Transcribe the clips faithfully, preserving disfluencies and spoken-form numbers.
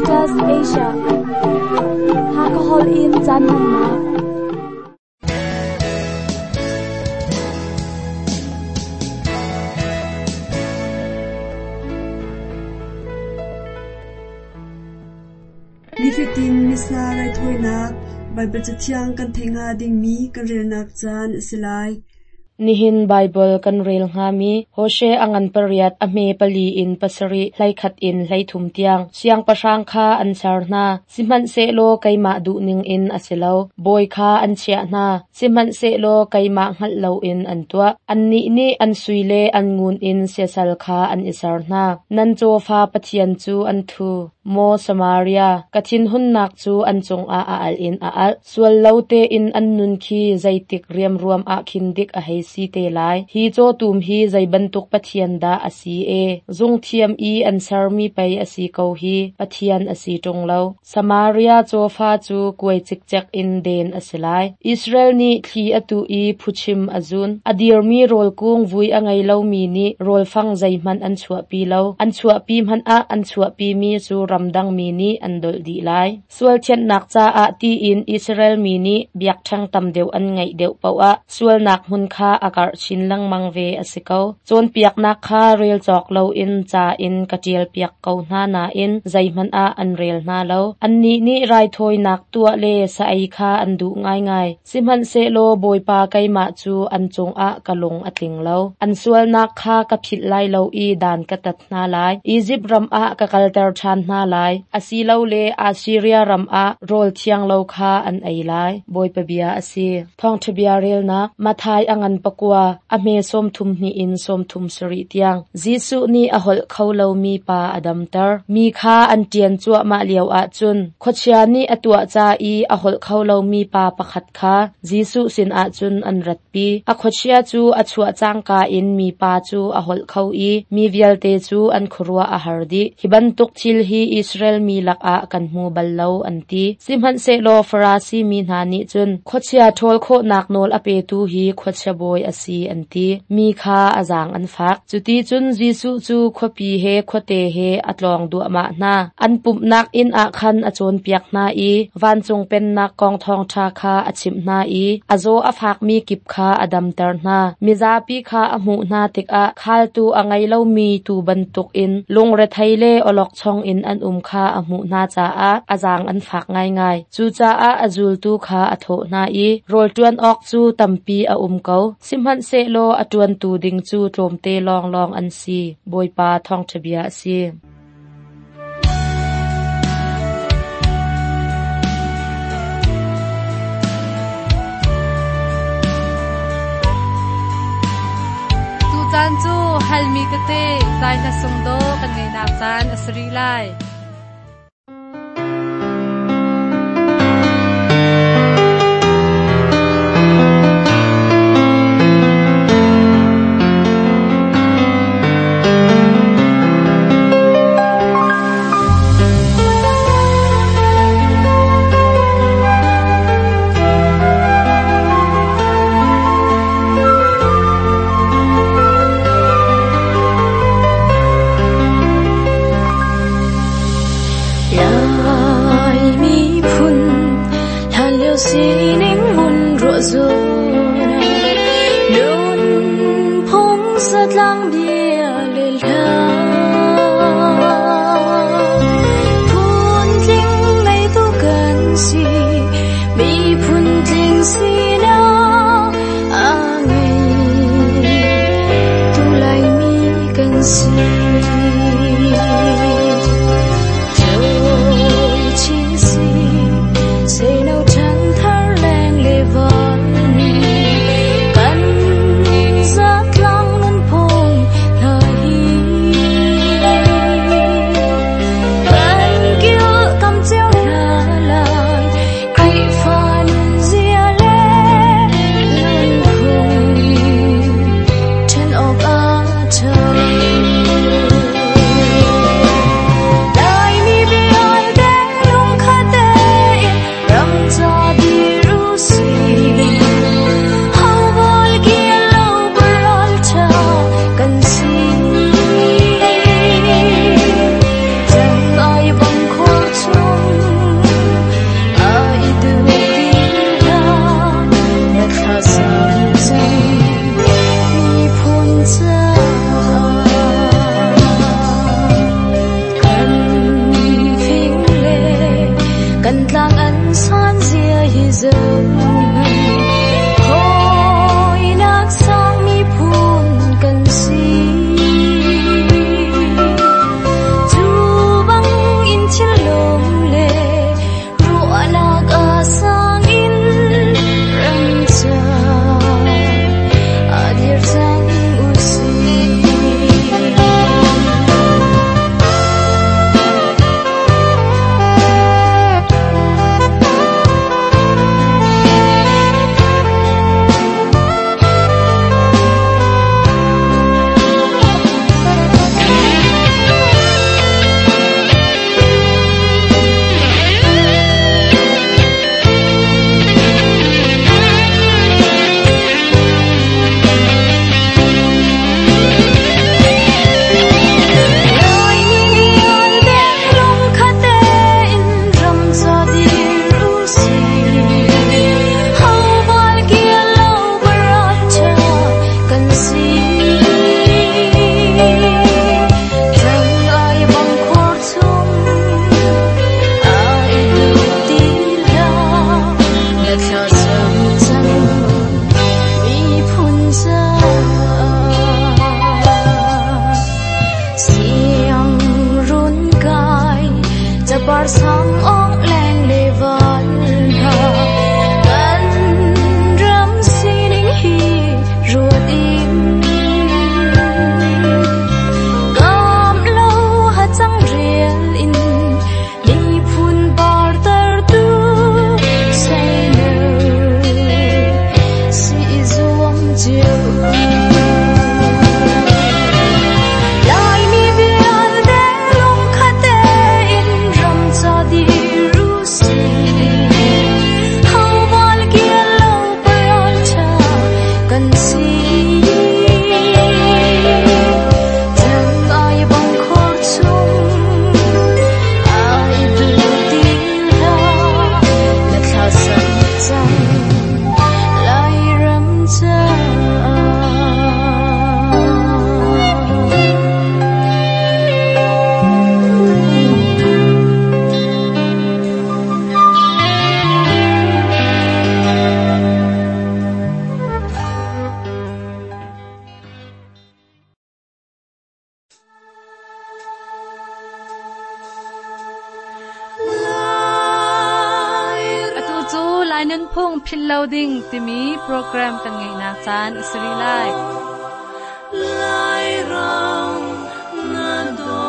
Adventist Asia Hakahol in caan hmannak. Nifatin Missa raithawinak Baibal Cathiang kan theih hnga dingmi kan relnak caan a si lai. Nihin Baibal kan rel hngami Hosea a ngan pariat a hme pali in pasarih hleikhat in hleithum tiang siangpahrang kha an ser hna. Sihmanhsehlaw keimah duhning in a si lo. Bawi kha an chiah hna. Sihmanhsehlaw keimah hngalh loin an tuah. Annih nih an sui le an ngun in siasal kha an i ser hna. Nan cawfa Pathian cu an thu. Maw Samaria, ka thinhunnak cu an cungah a alh in a alh. Sual lo tein an nun khi zeitik riamruam ah khin dik a hei si te lai. Hi cawtum hi zei bantuk Pathian dah a si e? Zungthiam i an sermi pei a si ko hi, Pathian a si ṭung lo. Samaria cawfa cu kuai cikcek in den a si lai. Israel nih thli a tuh i phuchim a zun. A dirmi rawl kung vui a ngei lomi nih rawlfang zeihmanh an chuahpi lo. An chuahpi hmanh ah an chuahpimi cu ramdangmi nih an dolh dih lai. Sual thianhnak caah tiin Israel mi nih biakṭheng tam deuh an ngeih deuh paoh ah sualnak hmun kha a karh chin lengmang ve a si ko. Cawnpiaknak kha rel cawk loin ca in ka ṭialpiak ko hna nain zeihmanh ah an rel hna lo. Annih nih raithawinak tuah le sa ei kha an duh ngaingai. Sihmanhsehlaw Bawipa keimah cu an cungah ka lung a tling lo. An sualnak kha ka philh lai lo i dan ka tat hna lai. Izipt ram ah ka kalter ṭhan hna lai. Asilole Assiria ram ah rawl thiang lo kha an ei lai. Bawipa bia a si. Thawngṭha bia relnak Matthai a ngan pakua a hme sawmthum hnih in sawmthum sarih tiang. Jesuh nih a holh kho lomi pa a damter. Mi kha an ṭian cuahmah lio ahcun khuachia nih a tuah ca i a holh kho lomi pa pakhat kha Jesuh sinah cun an ratpi. A khuachia cu a chuah cangka in mipa cu a holh kho i mi vialte cu an khuaruah a har dih. Hi bantuk thil hi Israel mi lakah kan hmu bal lo an ti. Sihmanhsehlaw Farasi mi hna nih cun khuachia ṭhawl khawhnak nawl a petu hi khuachia bawi a si an ti. Mi kha a zaang an fak. Cuti cun Jesuh cu khuapi he khuate he a tlawng duahmah hna. An pumhnak inn ah khan a cawnpiak hna i vancung pennak kong thawngṭha kha a chimh hna i a zaw a fakmi kip kha a damter hna. Mizapi kha a hmuh hna tikah khaltu a ngei lomi tuu bantukin lungrethei le awlokchong in an um kha a hmuh hna caah a zaang an fak ngaingai. Cucaah a zultu kha a thawh hna i rawl ṭuan awk cu tampi a um ko. Sihmanhsehlaw a ṭuantu ding cu tlawmte lawnglawng an si. Bawipa thawngṭha bia a si. Tucaan cu halmi tete zai hla sung do kan ngeinak caan a si rih lai. Say no tan thar leng le van Ding timi program kan ngai nak caan a si rih lai. Lai ram na do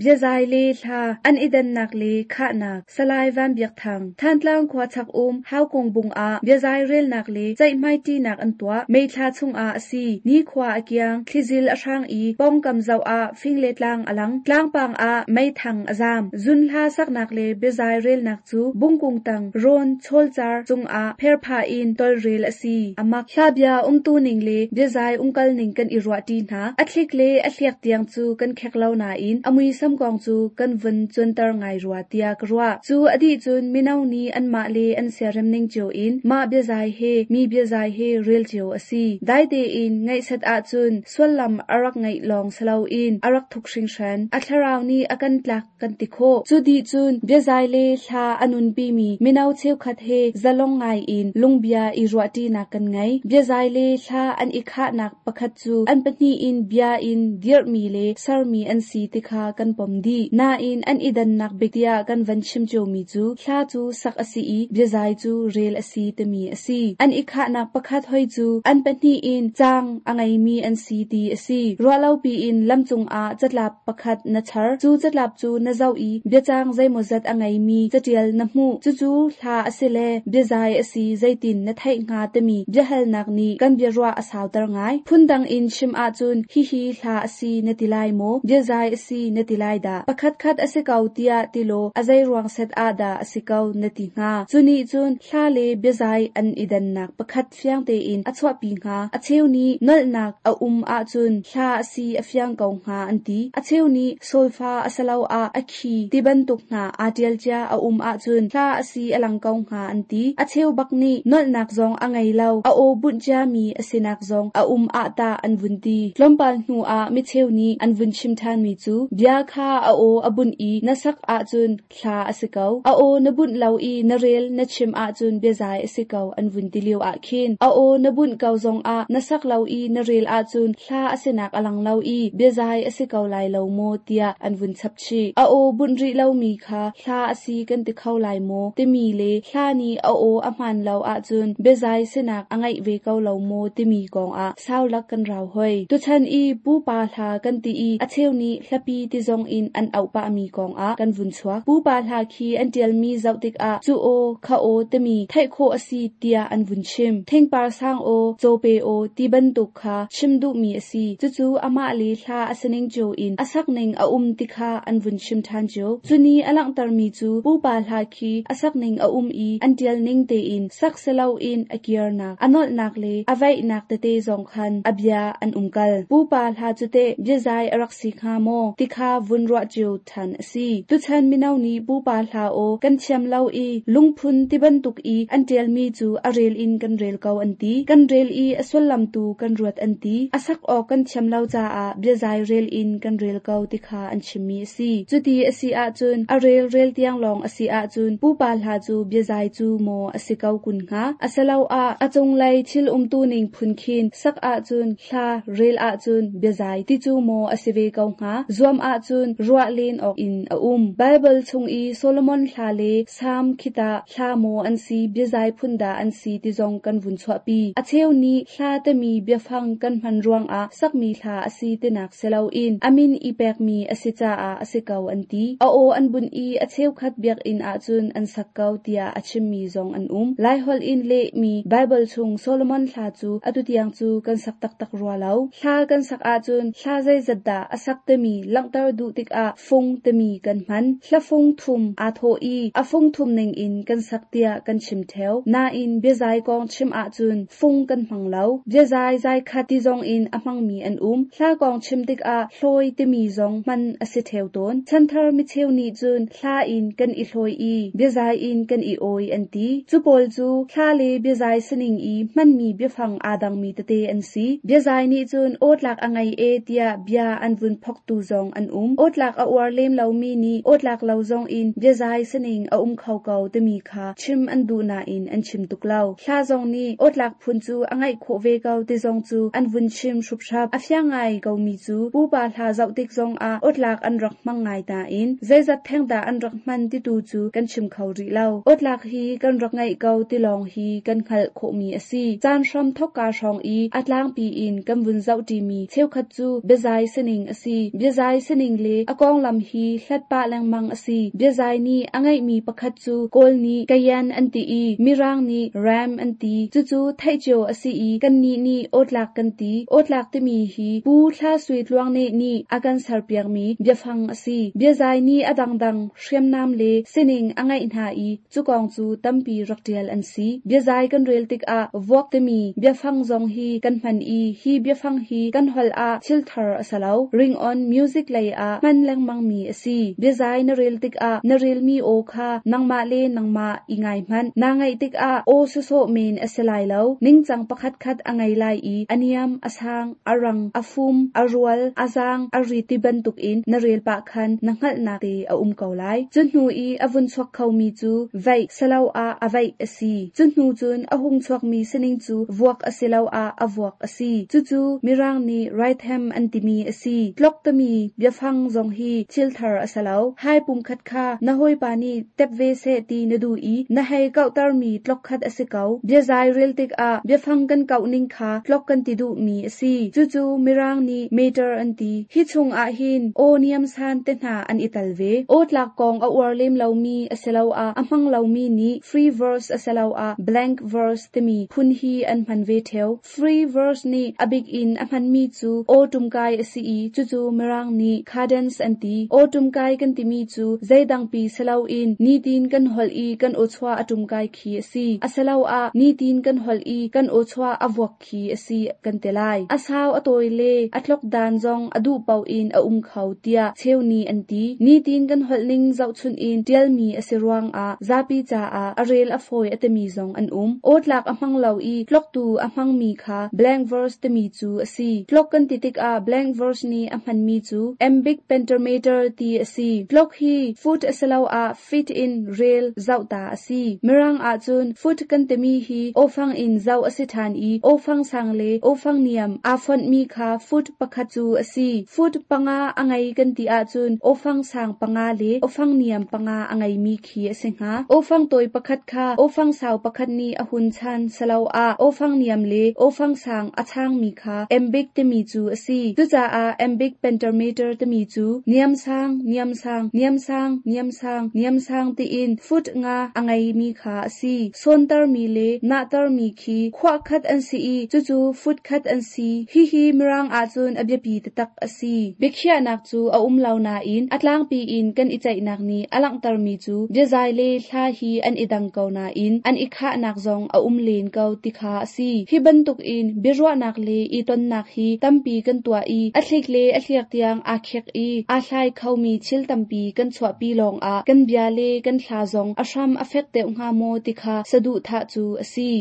Biazai le thla an idan nak le kha nak salai van biak thang thantlang khwa chak um hau kong bung a biazai rel nak le chai mai ti nak an tua mei thla chung a asi ni khwa akiang thlizil a hrang i pong kam zau a fing le tlang alang tlang pang a mei thang azam zun hla sak nak le biazai rel nak chu bungkung tang ron chol char chung a pher pha in tol rel asi amak hla bia um tu ning le biazai ungkal ning kan i ruwa ti na athlik le athliak tiang chu kan khek lo na in amui sam kong chu kan vun chuntar ngai ruwa tia ka ruwa chu adi chun minau ni an ma le an serem ning cheu in ma bia zai he mi bia zai he rel cheu asi dai te in ngai sat a chun swallam arak ngai long salo in arak thuk hring hran a thlarau ni akan tlak kan ti kho chu di chun bia zai le thla anun pi mi minau cheu khat he zalong ngai in lungbia i ruwa ti na kan ngai bia zai le thla an i kha nak pakhat chu an pahni in bia in dir mi le sar mi an si ti kha kan pom di na in an idan nak bektia kan van chim cheu mi chu thla chu sak asi i biazai chu rel asi te mi asi an i kha nak pakhat hoi chu an pahni in chang angai mi an si ti asi rualo pi in lamchung a chatlap pakhat na char chu chatlap chu na zau i biachang zaimozat angai mi chatial na mu chu chu thla asi le biazai asi zaitin na thai nga te mi biahal nak ni kan biarwa asaw tar ngai phundang in chim a chun hi hi thla asi na tilai mo biazai asi na tilai da pakhat khat ase kau tia tilo azai ruang set a da ase kau na ti nga chuni chun thla le biazai an idan nak pakhat fiang te in achwa pi nga acheu ni nal nak a um a chun thla asi afyang kau nga an ti acheu ni solfa asalo a akhi tiban tuk nga atial cha a um a chun thla asi alang kau nga an ti acheu bak ni nal nak zong angai lo a o bun cha mi asinak zong a um a ta an vun ti tlompal hnu a mi cheu ni an vun chim than mi chu bia kha a o abun i na sak a chun thla asikau a o na bun lo i na rel na chim a chun biazai asikau an vun ti liu a khin a o na bun kau zong a na sak lo i na rel a chun thla asinak alang lo i biazai asikau lai lo mo tia an vun chap chi a o bun ri lo mi kha thla asi kan ti khau lai mo ti mi le thla ni a o a man lo a chun biazai sinak angai ve kau lo mo ti mi kong a saw lak kan rau hoi tu chan i pu pa hla kan ti i a cheu ni hlapi ti zong in an au pa mi kong a kan vun chuak pu pa hla khi an tial mi zau tik a chu o kha o te mi thai kho asi tia an vun chim theng par sang o chope o ti ban tuk kha chim du mi asi chu chu ama le hla asaning jo in asak ning a um ti kha an vun chim than jo chuni alang tar mi chu pu pa hla khi asak ning a um i an tial ning te in sak selo in akir nak anol nak le avai nak te te zong khan abia an umkal pu pa hla chu te biazai arak si kha mo ti kha vun ruah cio ṭhan a si. Tuchan mino nih pupa hla aw kan thiam lo i lungphun ti bantuk i an ṭialmi cu a rel in kan rel ko an ti. Kan rel i a sullam tu kan ruat an ti. A sak awk kan thiam lo caah biazai rel in kan rel ko ti kha an chimmi a si. Cuti a si ahcun a rel rel tiang lawng a si ahcun pupa hla cu biazai cu maw a si ko kun hnga? Asiloah a cunglei thil umtu ning phun khin sak ahcun hla rel ahcun biazai ti cu maw a si ve ko hnga? Zuam ahcun ruah len awk in a um. Baibal chung i Solomon hla le Salm khita hla maw an si biazai phun dah an si ti zong kan vun chuahpi. A cheu nih hla timi biafang kan hman ruangah sakmi hla a si tinak si loin a min i pekmi a si caah a si ko an ti. A aw an bunh i a cheukhat biakinn ahcun an sak ko tiah a chimmi zong an um. Laiholh in lehmi Baibal chung Solomon hla cu atu tiang cu kan sak taktak rua lo. Hla kan sak ahcun hla zeizat dah a sak timi langhter duh tikah fung timi kan hman. Hla fung thum aa thawh i a fung thum ningin kan sak tiah kan chim ṭheo. Nain biazai kong chim ahcun fung kan hmang lo. Biazai zai khat ti zong in a hmangmi an um. Hla kong chim tikah hlawi timi zong hman a si ṭheo tawn. Chanthar micheu nih cun hla in kan i hlawi i biazai in kan i awi an ti. Cu pawl cu hla le biazai sining i hmanmi biafang aa dangmi tete an si. Biazai nih cun awtlak a ngei e tiah bia an vun phoktu zong an um. Awtlak a uar lem lomi nih awtlak lo zong in biazai sining a um kho ko timi kha chim an duh nain an chim tuk lo. Hla zong nih awtlak phun cu a ngeih khawh ve ko ti zong cu an vun chim hruphrap. A fiang ngai komi cu pupa hla zoh tik zongah awtlak an rak hmang ngai nain zeizat theng dah an rak hman ti tu cu kan chim kho rih lo. Awtlak hi kan rak ngeih ko ti lawng hi kan hngalh khawhmi a si. Caan hram thokka hrawng i a tlangpi in kan vun zoh ṭimi cheukhat cu biazai sining a si. Biazai sining le a konglam hi hlat pah lengmang a si. Biazai nih a ngeihmi pakhat cu Kawl nih kayan an ti i Mirang nih ram an ti. Cucu theih cio a si i kannih nih awtlak kan ti. Awtlak timi hi Pu Thla Sui Tluang Neh nih a kan serpiakmi biafang a si. Biazai nih a dangdang hriamnam le sining a ngeih hna i cu kong cu tampi rak ṭial an si. Biazai kan rel tikah vuak timi biafang zong hi kan hman i hi biafang hi kan holh ah thil thar a si lo. Ring-on music lei ah hman lengmangmi a si. Biazai na rel tikah na relmi aw kha nangmah le nangmah i ngai hmanh. Naa ngaih tikah aw sawsawh men a si lai lo. Ningcang pakhatkhat a ngei lai i a niam, a sang, a rang, a fum, a rual, a zaang, a rit ti bantukin na rel pah khan na hngalhnak te a um ko lai. Cu hnu i a vun chuak khomi cu veih siloah a veih a si. Cu hnu cun a hung chuakmi sining cu vuak asiloah a vuak a si. Cucu Mirang nih rhythm an timi a si. Tlok timi biafang zong hi thil thar a si lo. Hai pumkhat kha na hawipa nih tep ve seh ti na duh i na hei kauhtermi tlok khat a si ko. Biazai rel tikah biafang kan kauh ning kha tlok kan ti duhmi a si. Cucu Mirang nih meter an ti. Hi chungah hin aw niam san te hna an i tal ve. Awtlak kong a uar lem lomi asiloah a hmang lomi nih free verse asiloah blank verse timi phun hi an hman ve ṭheo. Free verse nih a bik in a hmanmi cu aw ṭumkai a si i cucu Mirang nih cadence an ti. Aw ṭumkai kan timi cu zeidangpi si loin nitin kan holh i kan awchuah a ṭumkai khi a si. Asiloah nitin kan holh i kan awchuah a vuak khi a si kan ti lai. A sau a tawi le a tlok dan zong a duh paoh in a um kho tiah cheu nih an ti. Nitin kan holh ning zohchunh in ṭialmi a si ruangah zapi caah a rel a fawi a timi zong an um. Awtlak a hmang lo i tloktu a hmangmi kha blank verse timi cu a si. Tlok kan ti tikah blank verse nih a hmanmi cu iambic pentameter ti a si. Tlok hi foot asiloah feet in rel zoh ta a si. Mirang ahcun foot kan timi hi awfang in zoh a si ṭhan i awfang sang le awfang niam aa fonhmi kha foot pakhat cu a si. Foot panga a ngei kan ti ahcun awfang sang panga le awfang niam panga a ngeimi khi a si hnga. Awfang tawi pakhat kha awfang sau pakhat nih a hun chan siloah awfang niam le awfang sang a changmi kha iambic timi cu a si. Cucaah iambic pentameter timi cu niam sang, niam sang, niam sang, niam sang, niam sang tiin foot nga a ngeimi kha a si. Sawntermi le nahtermi khi khuah khat an si i cucu foot khat an si. Hihi Mirang ahcun a biapi taktak a si. Biakhiahnak cu a um lo nain a tlangpi in kan i ceihnak nih a langhtermi cu biazai le hla hi an i dang ko nain an i khahnak zong a um len ko ti kha a si. Hi bantukin biaruahnak le i tonnak hi tampi kan tuah i a thlik le a hliak tiang aa khek i aa hlai khomi thil tampi kan chuahpi lawngah kan bia le kan hla zong a hram a fek deuh hnga maw ti kha saduhthah cu a si.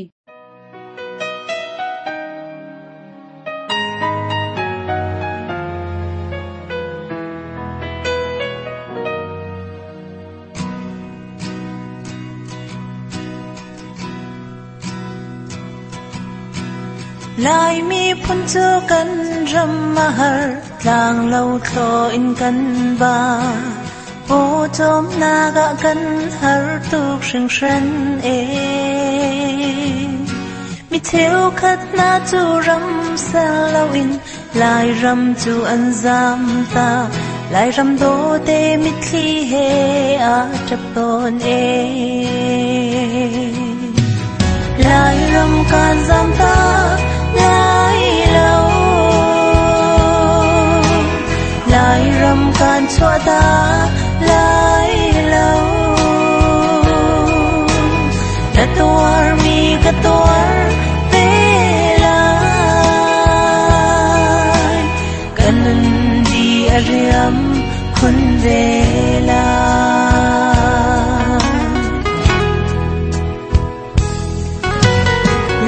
Lai miphun cu kan ram a har, tlang lo thlo in kan ba. Pawcawmnak ah kan har tuk hringhran e. Mi cheukhat hna cu ram sel loin Lairam cu an zam ta. Lairam dawte mitthli he a ṭap tawn e. Lairam kan zam ta lai lo, Lairam kan chuah ta lai lo. Na tuar mi ka tuar ve lai, kan nun di a riam khun ve lai.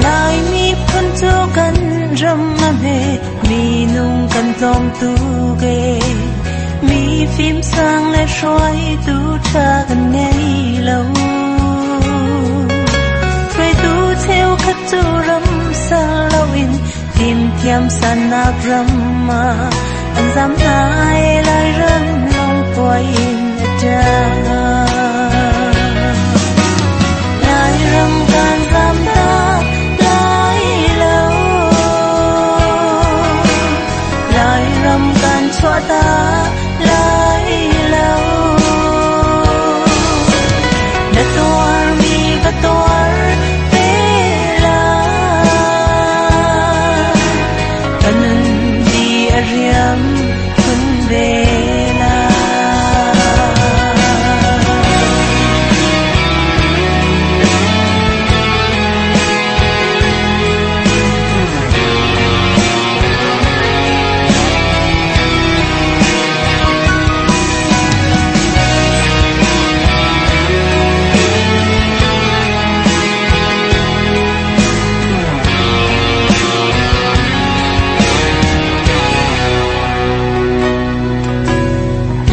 Lai miphun cu kan ram a hme, minung kan tlawm tuk e. Mi fim sang le hruaitu ṭha kan ngei lo. Hruaitu cheukhat cu ram sal loin fimthiam sannak ram ah an zam hna e. Lairam lawng puai in a ṭang. Lairam kan zam ta lai lo, Lairam kan chuah ta lai lo. Na tuar mi ka tuar ve lai, kan nun di a riam khun ve lai.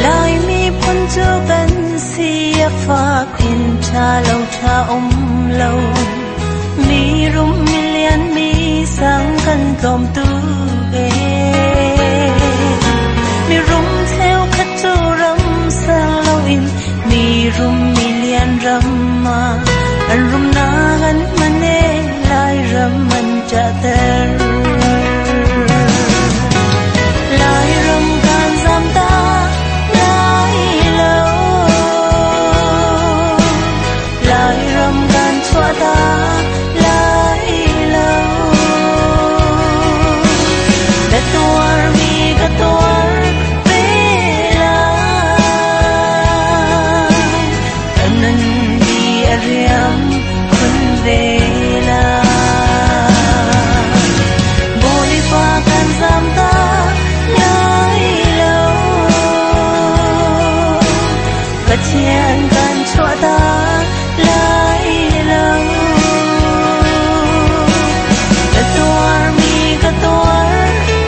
Lai miphun cu kan si a fak, inn ṭha lo ṭha um lo. Mi rum mi lian mi sang kan tlawm tuk e. Mi rum cheukhat cu ram sal loin mi rum mi lian ram ah an rumnak an hman e. Lairam an ṭahter. Lairam kan zam ta lai lo, Lairam kan chuah ta lai lo. Na tuar mi ka tuar ve lai, kan nun di a riam khun ve lai. Bawipa kan zam ta lai lo, Pathian kan chuah ta lai lo. Ka tuar mi ka tuar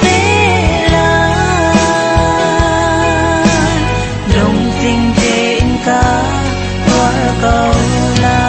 ve lai, lungtling tein ka tuar ko lai.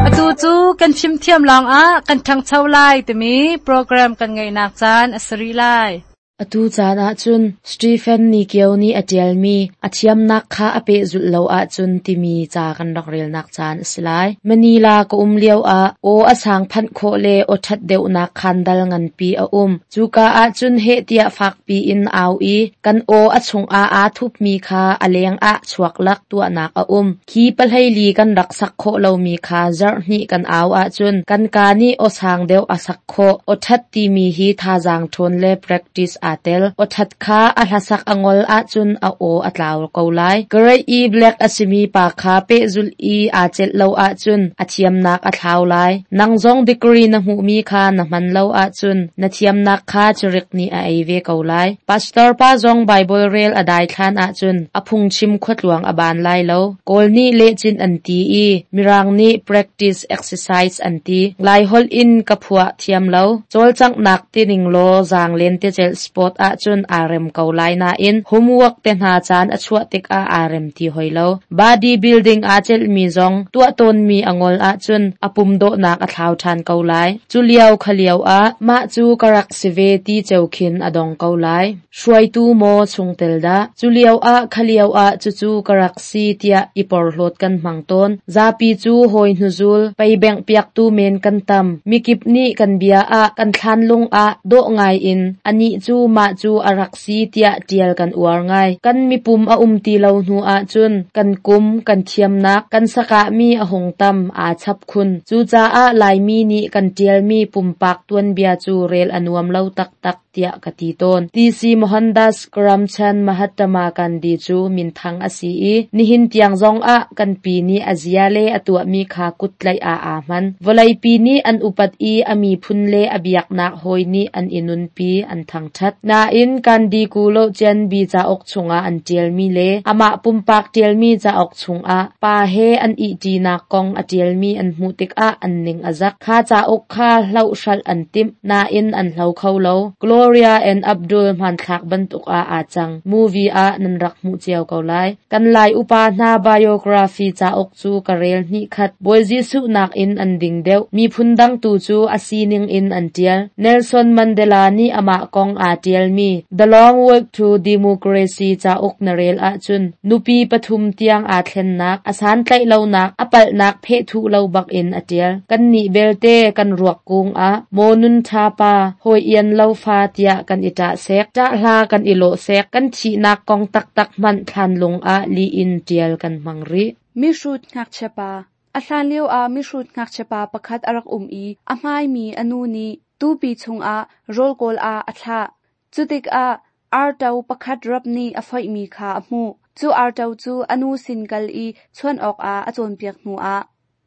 Atu cu kan fimthiam lawngah kan ṭhangcho lai timi program kan ngeihnak caan a si rih lai. Atu caan ahcun Stephen Nikio nih a ṭialmi a thiamnak kha a pehzulh lo ahcun timi ca kan rak relnak caan a si lai. Manila ka um lioah aw a sang phanh khawh le aw ṭhat deuhnak khandal nganpi a um. Cuka ahcun heh tiah fakpi in au i kan aw a chungah aa thupmi kha a leng ah chuak lak tuahnak a um. Khi pahleili kan rak sak khawh lomi kha zarh hnih kan au ahcun kan kaa nih aw sang deuh a sak khawh. Aw ṭhat timi hi thazaang ṭhawn le practice aa tel. Aw ṭhat kha a hlasak a ngol ahcun a aw a tlau ko lai. Grade E Black a simi pa kha pehzulh i aa celh lo ahcun a thiamnak a thlau lai. Nang zong degree na hmuhmi kha na hman lo ahcun na thiamnak kha cirik nih a ei ve ko lai. Pastor pa zong Bible rel a daithlan ahcun a phungchim khuatluang a ban lai lo. Kawl nih lehcin an ti i Mirang nih practice exercise an ti. Laiholh in ka phuah thiam lo. Cawlcanghnak tining law zaanglen tecelh sport ahcun aa rem ko lai nain homework te hna caan a chuah tikah aa rem ti hoi lo. Body building aa celhmi zong tuah tawnmi a ngol ahcun a pum dawhnak a thlau ṭhan ko lai. Cu lio kha lio ah mah cu ka rak si ve ti ceu khin a dong ko lai. Hruaitu maw chungtel dah? Cu lio ah kha lio ah cucu ka rak si tiah i porhlawt kan hmang tawn. Zapi cu hawi hnuzul, peibengh piaktu men kan tam. Mikip nih kan bia ah kan thlanlung ah dawh ngai in anih cu mah cu a rak si tiah ṭial kan uar ngai. Kan mipum a um ti lo hnu ahcun kan kum, kan thiamnak, kan sakahmi a hung tam aa chap khun. Cucaah Laimi nih kan ṭialmi pumpak tuanbia cu rel a nuam lo taktak tiah ka ti tawn. T.C. Mohandas Karamchand Mahatma Gandhi cu minthang a si i nihin tiang zongah kan pi nih a zia le a tuahmi kha kuttlaih ah aa hman. Vawleipi nih an upat i a miphun le a biaknak hawi nih an i nunpi an thangṭhat. Nain Gandhi kulo Cianbi cauk chungah an ṭialmi le amah pumpak ṭialmi cauk chungah pa he an ihṭinak kong a ṭialmi an hmuh tikah an ning a zak. Kha cauk kha hlohhralh an timh, nain an hlo kho lo. Gloria and Abdul hmanthlak bantuk ah aa cang. Movie ah nan rak hmuh cio ko lai. Kan Lai upa hna biography cauk cu ka rel hnih khat. Bawi Jesuh nakin an ding deuh. Miphun dang tu cu a sining in an ṭial. Nelson Mandela nih amah kong aa ṭialmi The Long Walk to Democracy cauk na rel ahcun nupi pathum tiang aa thlennak, a santlaih lonak, a palhnak phehthuh lo bakin a ṭial. Kannih belte kan ruak kung ah maw nun ṭha pa, hawi ian lo fa tiah kan i ṭah sek, ṭah hla kan i lawh sek, kan thihnak kong taktak hmanh thlanlung ah li in ṭial kan hmang rih. Mihrut ngakchia pa A hlan lio ah mihrut ngakchia pa pakhat a rak um i a hmaimi a nu nih tupi chungah rawl kawl ah a thlah. Cu tikah arto pakhat rap nih a foihmi kha a hmuh. Cu arto cu a nu sin kal i chuan awkah a cawnpiak hnuah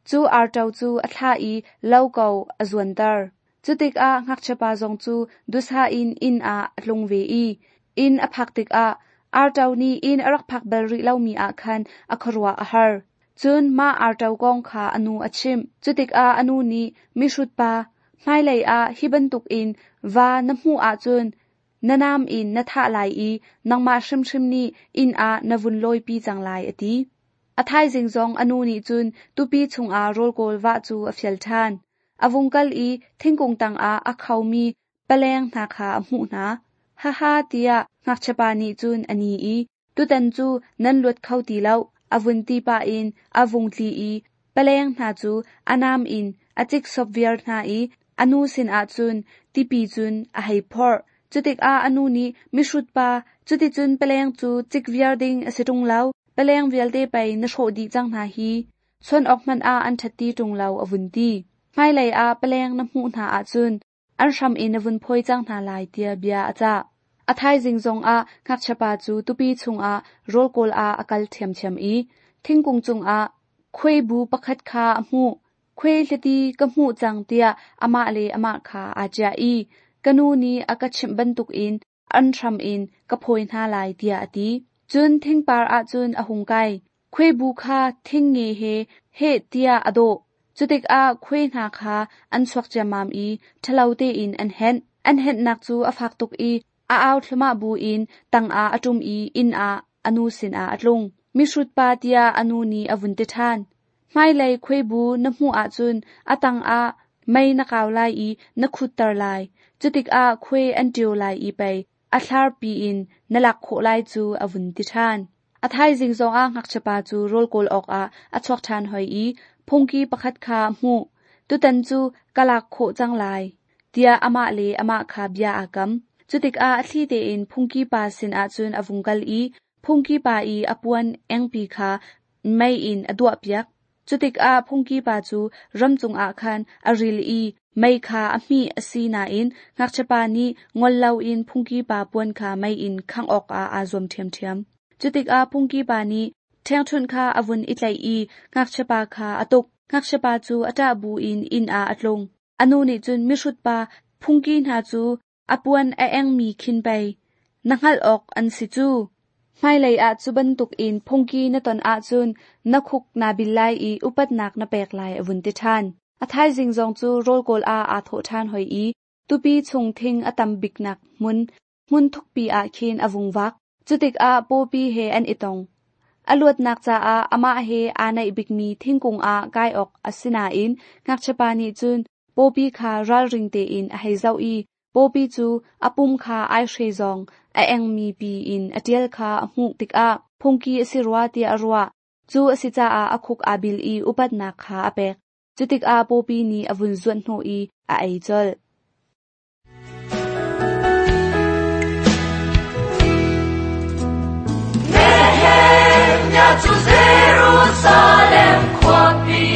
cu arto cu a thlah i lo ko a zuanter. Cu tikah ngakchia pa zong cu dusa in inn ah a tlung ve i inn a phak tikah arto nih inn a rak phak bal rih lomi ah khan a khuaruah a har. Cun mah arto kong kha a nu a chimh. Cu tikah a nu nih mihrut pa, hmailei ah hi bantukin va na hmuh ahcun na nam in na thah lai i nangmah hrimhrim nih inn ah na vun lawipi cang lai a ti. A thaizing zong a nu nih cun tupi chungah rawl kawl vah cu a fial ṭhan. A vung kal i thingkung tangah a khomi paleng hna kha a hmuh hna. Haha tiah ngakchiapa nih cun a ni i tutan cu nan luat kho ti lo a vun ti pah in a vung tli i paleng hna cu a nam in a ciksop viar hna i a nu sinah cun tipi cun a hei phorh. Cutikah a nu nih mihrut pa, cuticun paleng cu cik viar ding a si ṭung lo, paleng vialte pei na hrawh dih cang hna hi. Chuan awk hmanh ah an ṭhat ti ṭung lo a vun ti. Hmailei ah paleng na hmuh hna ahcun an hram in na vun phawi cang hna lai tiah bia a cah. A thaizing zongah ngakchiapa cu tupi chungah rawl kawl ah a kal ṭhiamṭhiam i thingkung cungah khuaibu pakhat kha a hmuh. Khuai hlati ka hmuh cang tiah amah le amah kha aa ciah i ka nu nih a ka chimh bantukin an hram in ka phawi hna lai tiah a ti. Cun thingpar ahcun a hung kai. Khuaibu kha thing nge he heh tiah a dawh. Cutikah khuai hna kha an chuak ciammam i ṭhalo tein an henh. An henhnak cu a fak tuk i a au thluahmah buin tangah a ṭum i inn ah a nu sinah a tlung. Mihrut pa tiah a nu nih a vun ti ṭhan. Hmailei khuaibu na hmuh ahcun a tangah mei na kau lai i na khutter lai. Cutikah khuai an ṭio lai i pei A thlar piin na lak khawh lai cu a vun ti ṭhan. A thaizing zongah ngakchiapa cu rawl kawl awkah a chuak ṭhan hoi i phungki pakhat kha a hmuh. Tutan cu ka lak khawh cang lai, tiah amah le amah kha bia aa kam. Cutikah a thli tein phungki pa sinah cun a vung kal i phungki pa i a puan engpi kha mei in a duahpiak. Cutikah phungki pa cu ram cungah khan a ril i mei kha a hmih a si nain ngakchiapa nih ngol loin phungki pa puan kha mei in khangh awkah aa zuam ṭhiamṭhiam. Cutikah phungki pa nih ṭhengṭhunh kha a vun i tlaih i ngakchiapa kha a tuk. Ngakchiapa cu a ṭah buin inn ah a tlung. A nu nih cun mihrut pa phungki hna cu a puan a engmi khin pei na hngalh awk an si cu. Hmailei ah cu bantukin phungki na ton ahcun na khuk naa bil lai i upatnak na pek lai a vun ti ṭhan. A thaizing zong cu rawl kawl ah aa thawh ṭhan hoi i tupi chung thing a tam biknak hmun hmun thukpi ah khin a vung vak. Cutikah pawpi he an i tong. A luatnak caah amah he aa naih bikmi thingkung ah kai awk a si nain ngakchiapa nih cun pawpi kha ralring tein a hei zoh i pawpi cu a pum kha aihre zong a engmi pi in a ṭial kha a hmuh tikah phungki a si rua tiah a ruah. Cu a si caah a khuk aa bil i upatnak kha a pek. Cutikah pawpi nih a vun zuanh hnawh i a ei colh. Nehemiah cu Jerusalem khuapi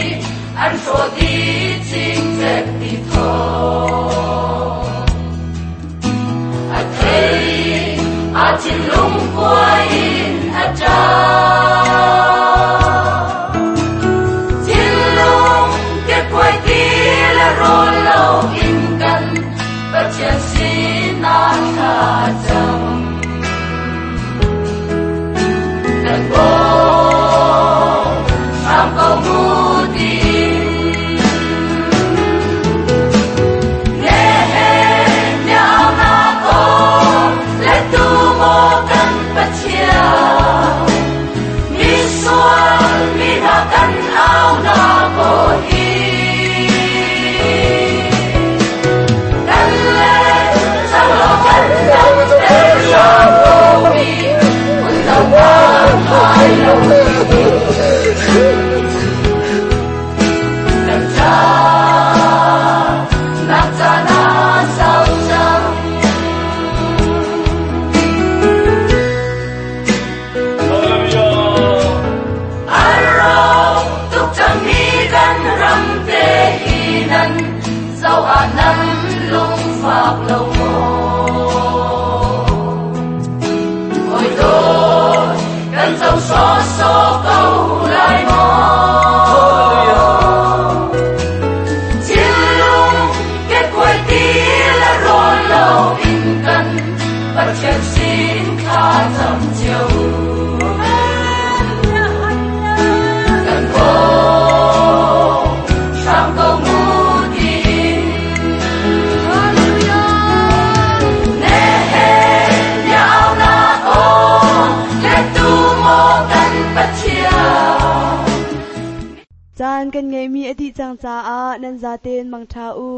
an hrawh dih cingcek ti thawng. A thei a thinlung kuai in a ṭap. Thinlung kekkuai ti le rawl lo in kan Pathian sinah thla cam. Kan bawm hram ko mu tiin. Nehemiah nak aw le tu maw kan Pathian. Misual mi hna kan au nak aw hi. Kan le cang law kan dam ter hram ko mi. Kun lo kan hai lo mi. Kan ca nak ca na sau cang. A rawk tuk cangmi kan ram te hi nan zoh ah nan lungfak lo maw? Hawi dawt kan co sawsawh ko lai maw? Thinlung kekkuai ti le rawl lo in kan Pathian sin thla cam cio. Kan bawm hram ko mu tiin. Nehemiah au nak aw le tu maw kan Pathian. Caan kan ngeihmi a dih cang caah nan zaten mangṭha u.